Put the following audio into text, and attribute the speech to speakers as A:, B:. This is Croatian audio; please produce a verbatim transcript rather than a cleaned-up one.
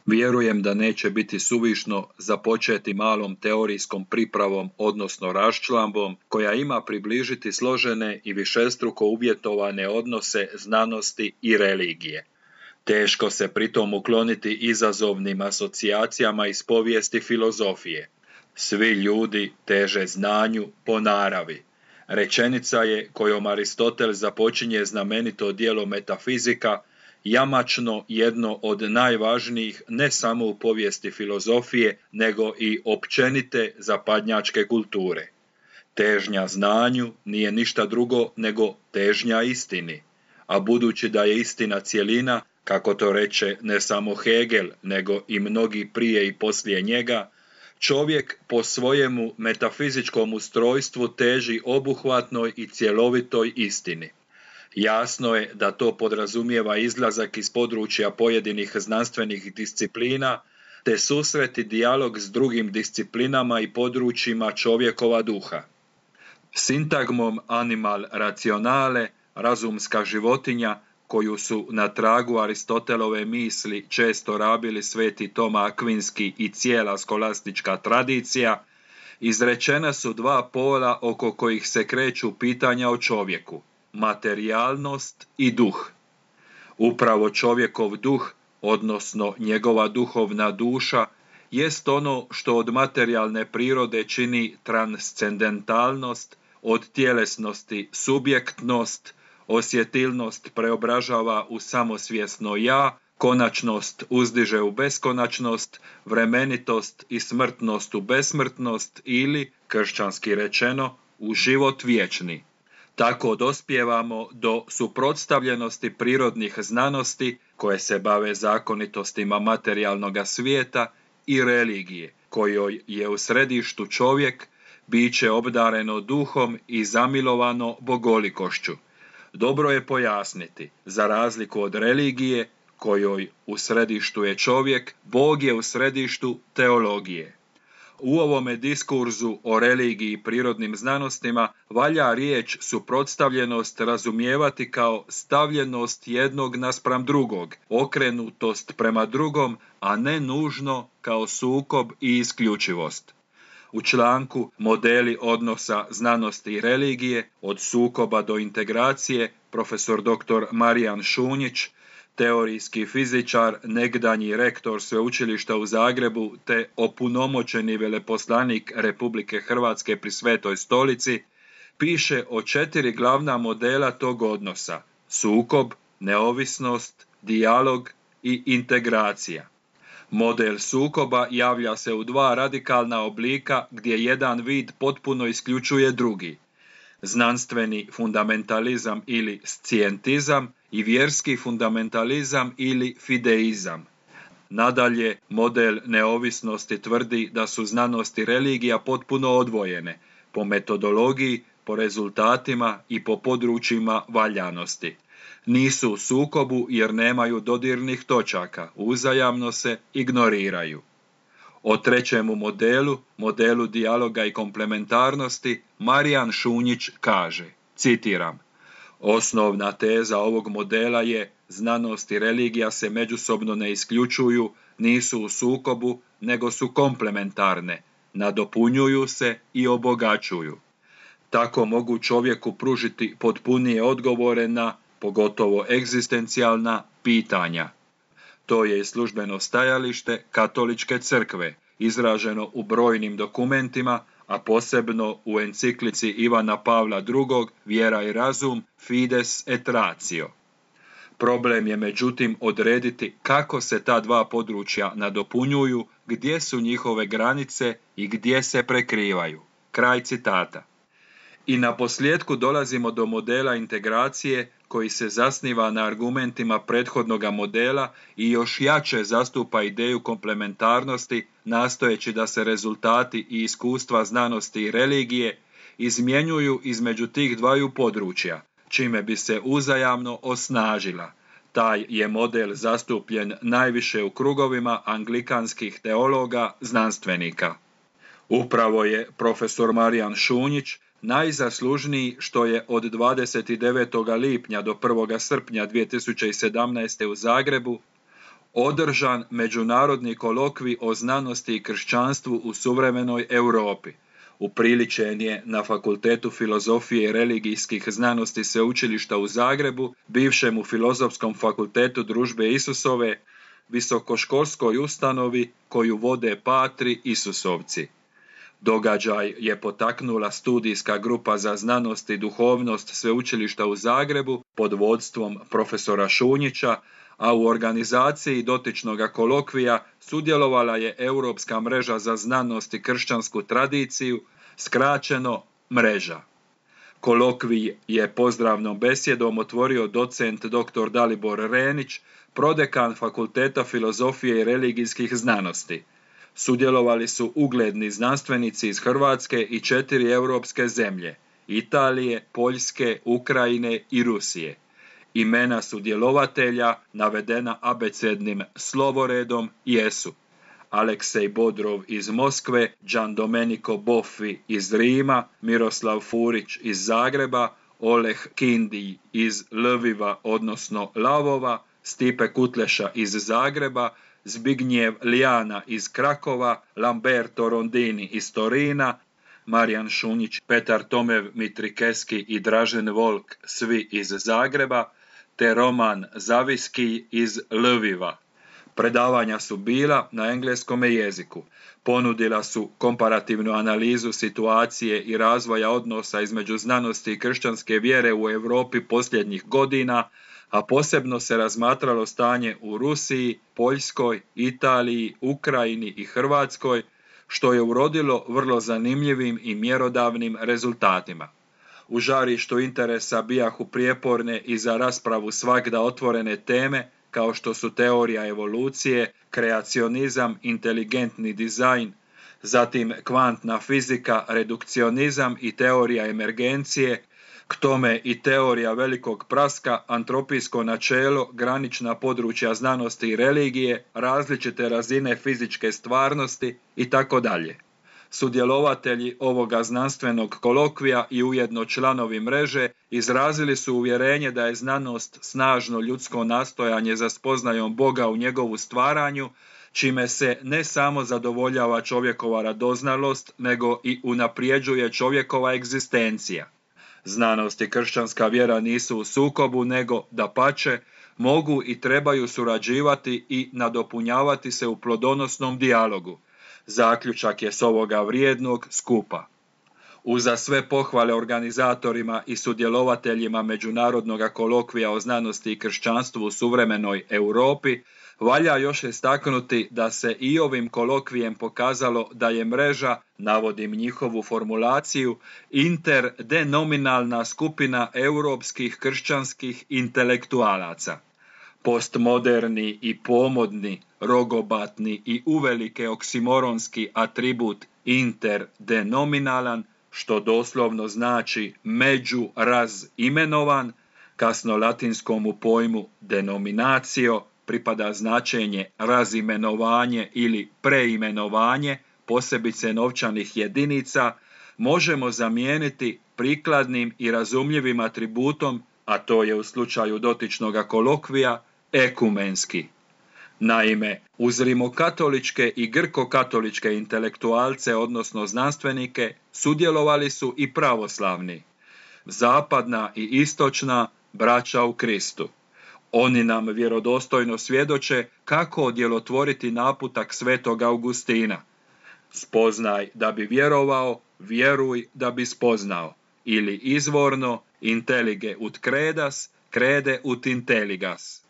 A: Vjerujem da neće biti suvišno započeti malom teorijskom pripravom, odnosno raščlambom, koja ima približiti složene i višestruko uvjetovane odnose znanosti i religije. Teško se pritom ukloniti izazovnim asocijacijama iz povijesti filozofije. Svi ljudi teže znanju po naravi. Rečenica je kojom Aristotel započinje znamenito djelo Metafizika, jamačno jedno od najvažnijih ne samo u povijesti filozofije, nego i općenite zapadnjačke kulture. Težnja znanju nije ništa drugo nego težnja istini, a budući da je istina cjelina, kako to reče ne samo Hegel, nego i mnogi prije i poslije njega, čovjek po svojemu metafizičkom ustrojstvu teži obuhvatnoj i cjelovitoj istini. Jasno je da to podrazumijeva izlazak iz područja pojedinih znanstvenih disciplina, te susret i dijalog s drugim disciplinama i područjima čovjekova duha. Sintagmom animal rationale, razumska životinja, koju su na tragu Aristotelove misli često rabili sveti Toma Akvinski i cijela skolastička tradicija, izrečena su dva pola oko kojih se kreću pitanja o čovjeku, materijalnost i duh. Upravo čovjekov duh, odnosno njegova duhovna duša, jest ono što od materijalne prirode čini transcendentalnost, od tjelesnosti subjektnost, osjetilnost preobražava u samosvjesno ja, konačnost uzdiže u beskonačnost, vremenitost i smrtnost u besmrtnost ili, kršćanski rečeno, u život vječni. Tako dospijevamo do suprotstavljenosti prirodnih znanosti koje se bave zakonitostima materijalnoga svijeta i religije, kojoj je u središtu čovjek, biće obdareno duhom i zamilovano bogolikošću. Dobro je pojasniti, za razliku od religije, kojoj u središtu je čovjek, Bog je u središtu teologije. U ovome diskurzu o religiji i prirodnim znanostima valja riječ suprotstavljenost razumijevati kao stavljenost jednog naspram drugog, okrenutost prema drugom, a ne nužno kao sukob i isključivost. U članku Modeli odnosa znanosti i religije, od sukoba do integracije, profesor doktor Marijan Šunjić, teorijski fizičar, nekdanji rektor Sveučilišta u Zagrebu te opunomoćeni veleposlanik Republike Hrvatske pri Svetoj Stolici, piše o četiri glavna modela tog odnosa: sukob, neovisnost, dijalog i integracija. Model sukoba javlja se u dva radikalna oblika gdje jedan vid potpuno isključuje drugi: znanstveni fundamentalizam ili scijentizam i vjerski fundamentalizam ili fideizam. Nadalje, model neovisnosti tvrdi da su znanost i religija potpuno odvojene, po metodologiji, po rezultatima i po područjima valjanosti. Nisu u sukobu jer nemaju dodirnih točaka, uzajamno se ignoriraju. O trećemu modelu, modelu dijaloga i komplementarnosti, Marijan Šunjić kaže, citiram: osnovna teza ovog modela je: znanost i religija se međusobno ne isključuju, nisu u sukobu, nego su komplementarne, nadopunjuju se i obogaćuju. Tako mogu čovjeku pružiti potpunije odgovore na, pogotovo egzistencijalna, pitanja. To je i službeno stajalište Katoličke crkve, izraženo u brojnim dokumentima, a posebno u enciklici Ivana Pavla drugog Vjera i razum, Fides et ratio. Problem je međutim odrediti kako se ta dva područja nadopunjuju, gdje su njihove granice i gdje se prekrivaju. Kraj citata. I na posljedku dolazimo do modela integracije koji se zasniva na argumentima prethodnoga modela i još jače zastupa ideju komplementarnosti, nastojeći da se rezultati i iskustva znanosti i religije izmjenjuju između tih dvaju područja, čime bi se uzajamno osnažila. Taj je model zastupljen najviše u krugovima anglikanskih teologa, znanstvenika. Upravo je profesor Marijan Šunjić najzaslužniji što je od dvadeset devetog lipnja do prvog srpnja dvije tisuće sedamnaeste. u Zagrebu održan međunarodni kolokvij o znanosti i kršćanstvu u suvremenoj Europi. Upriličen je na Fakultetu filozofije i religijskih znanosti Sveučilišta u Zagrebu, bivšemu Filozofskom fakultetu Družbe Isusove, visokoškolskoj ustanovi koju vode Patri Isusovci. Događaj je potaknula studijska grupa za znanost i duhovnost Sveučilišta u Zagrebu pod vodstvom profesora Šunjića, a u organizaciji dotičnog kolokvija sudjelovala je Europska mreža za znanost i kršćansku tradiciju, skraćeno Mreža. Kolokvij je pozdravnom besjedom otvorio docent dr. Dalibor Renić, prodekan Fakulteta filozofije i religijskih znanosti. Sudjelovali su ugledni znanstvenici iz Hrvatske i četiri europske zemlje: Italije, Poljske, Ukrajine i Rusije. Imena sudjelovatelja, navedena abecednim slovoredom, jesu: Aleksej Bodrov iz Moskve, Gian Domenico Boffi iz Rima, Miroslav Furić iz Zagreba, Oleg Kindij iz Lviva, odnosno Lavova, Stipe Kutleša iz Zagreba, Zbignjev Lijana iz Krakova, Lamberto Rondini iz Torina, Marijan Šunjić, Petar Tomev Mitrikeski i Dražen Volk, svi iz Zagreba, te Roman Zaviski iz Lviva. Predavanja su bila na engleskom jeziku. Ponudila su komparativnu analizu situacije i razvoja odnosa između znanosti i kršćanske vjere u Europi posljednjih godina, a posebno se razmatralo stanje u Rusiji, Poljskoj, Italiji, Ukrajini i Hrvatskoj, što je urodilo vrlo zanimljivim i mjerodavnim rezultatima. U žarištu interesa bijahu prijeporne i za raspravu svagda otvorene teme, kao što su teorija evolucije, kreacionizam, inteligentni dizajn, zatim kvantna fizika, redukcionizam i teorija emergencije, k tome i teorija velikog praska, antropijsko načelo, granična područja znanosti i religije, različite razine fizičke stvarnosti itd. Sudjelovatelji ovoga znanstvenog kolokvija i ujedno članovi mreže izrazili su uvjerenje da je znanost snažno ljudsko nastojanje za spoznajom Boga u njegovu stvaranju, čime se ne samo zadovoljava čovjekova radoznalost, nego i unaprijeđuje čovjekova egzistencija. Znanost i kršćanska vjera nisu u sukobu, nego, dapače, mogu i trebaju surađivati i nadopunjavati se u plodonosnom dijalogu. Zaključak je s ovoga vrijednog skupa. Uza sve pohvale organizatorima i sudjelovateljima međunarodnog kolokvija o znanosti i kršćanstvu u suvremenoj Europi, valja još istaknuti da se i ovim kolokvijem pokazalo da je mreža, navodim njihovu formulaciju, interdenominalna skupina europskih kršćanskih intelektualaca. Postmoderni i pomodni, rogobatni i uvelike oksimoronski atribut interdenominalan, što doslovno znači međurazimenovan, kasno latinskomu pojmu denominacio pripada značenje razimenovanje ili preimenovanje, posebice novčanih jedinica, možemo zamijeniti prikladnim i razumljivim atributom, a to je u slučaju dotičnog kolokvija, ekumenski. Naime, uz rimokatoličke i grko-katoličke intelektualce, odnosno znanstvenike, sudjelovali su i pravoslavni, zapadna i istočna braća u Kristu. Oni nam vjerodostojno svjedoče kako djelotvoriti naputak svetog Augustina. Spoznaj da bi vjerovao, vjeruj da bi spoznao. Ili izvorno, intellige ut credas, crede ut intelligas.